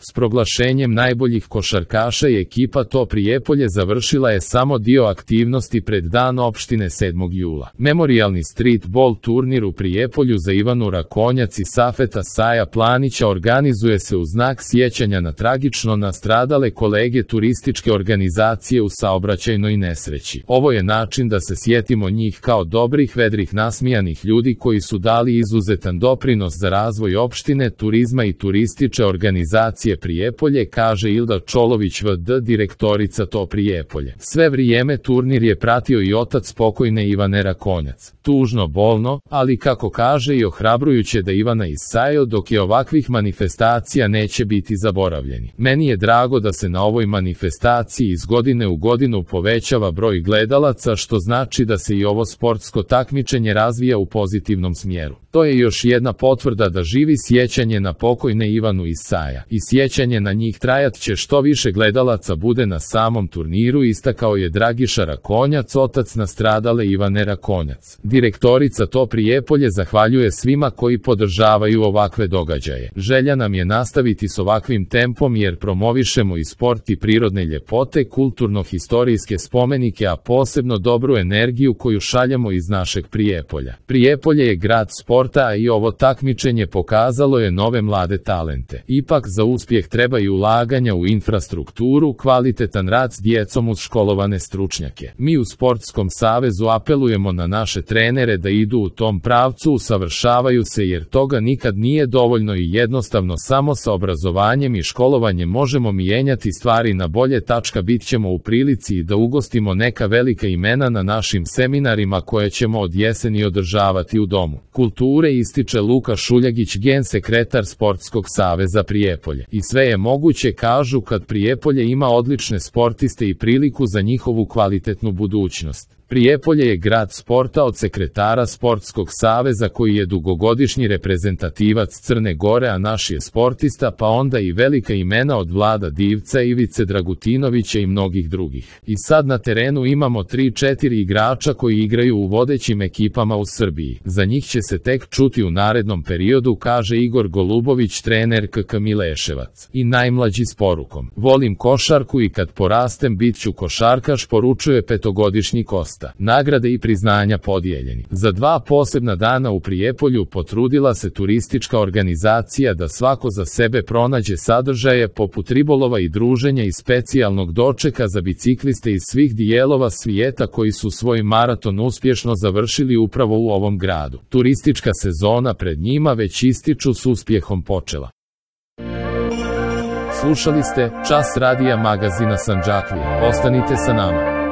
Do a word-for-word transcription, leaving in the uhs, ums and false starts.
S proglašenjem najboljih košarkaša i ekipa To Prijepolje završila je samo dio aktivnosti pred Dan opštine sedmog jula. Memorijalni streetball turnir u Prijepolju za Ivanu Rakonjac i Safeta Saja Planića organizuje se u znak sjećanja na tragično nastradale kolege turističke organizacije u saobraćajnoj nesreći. Ovo je način da se sjetimo njih kao dobrih, vedrih, nasmijanih ljudi koji su dali izuzetan doprinos za razvoj opštine, turizma i turističke organizacije Prijepolje, kaže Ilda Čolović V D, direktorica To Prijepolje. Sve vrijeme turnir je pratio i otac pokojne Ivane Rakonjac. Tužno, bolno, ali kako kaže i ohrabrujuće da Ivana i Sajo dok je ovakvih manifestacija neće biti zaboravljeni. Meni je drago da se na ovoj manifestaciji iz godine u godinu povećava broj gledalaca, što znači da se i ovo sportsko takmičenje razvija u pozitivnom smjeru. To je još jedna potvrda da živi sjećanje na pokojne Ivanu i Saja. I sjećanje na njih trajat će što više gledalaca bude na samom turniru, istakao je Dragiša Rakonjac, otac nastradale Ivane Rakonjac. Direktorica To Prijepolje zahvaljuje svima koji podržavaju ovakve događaje. Želja nam je nastaviti s ovakvim tempom jer promovišemo i sport i prirodne ljepote, kulturno-historijske spomenike, a posebno dobru energiju koju šaljemo iz našeg Prijepolja. Prijepolje je grad sporta, a i ovo takmičenje pokazalo je nove mlade talente. Ipak za uspjeh treba i ulaganja u infrastrukturu, kvalitetan rad s djecom uz školovane stručnjake. Mi u Sportskom savezu apelujemo na naše trenere da idu u tom pravcu, usavršavaju se jer toga nikad nije dovoljno i jednostavno samo sa obrazovanjem i školovanjem možemo mijenjati stvari na bolje. Bit ćemo u prilici da ugostimo neka velika imena na našim seminarima koje ćemo od jeseni održavati u Domu kulture, ističe Luka Šuljagić, gen sekretar Sportskog saveza Prijepolje. I sve je moguće, kažu, kad Prijepolje ima odlične sportiste i priliku za njihovu kvalitetnu budućnost. Prijepolje je grad sporta, od sekretara Sportskog saveza koji je dugogodišnji reprezentativac Crne Gore, a naš je sportista, pa onda i velika imena od Vlada Divca, Ivice Dragutinovića i mnogih drugih. I sad na terenu imamo tri četiri igrača koji igraju u vodećim ekipama u Srbiji. Za njih će se tek čuti u narednom periodu, kaže Igor Golubović, trener K K Mileševac. I najmlađi s porukom: volim košarku i kad porastem bit ću košarkaš, poručuje petogodišnji Kosta. Nagrade i priznanja podijeljeni. Za dva posebna dana u Prijepolju potrudila se turistička organizacija da svako za sebe pronađe sadržaje poput ribolova i druženja i specijalnog dočeka za bicikliste iz svih dijelova svijeta koji su svoj maraton uspješno završili upravo u ovom gradu. Turistička sezona pred njima već ističu s uspjehom počela. Slušali ste Čas radija magazina Sandžaklije. Ostanite sa nama.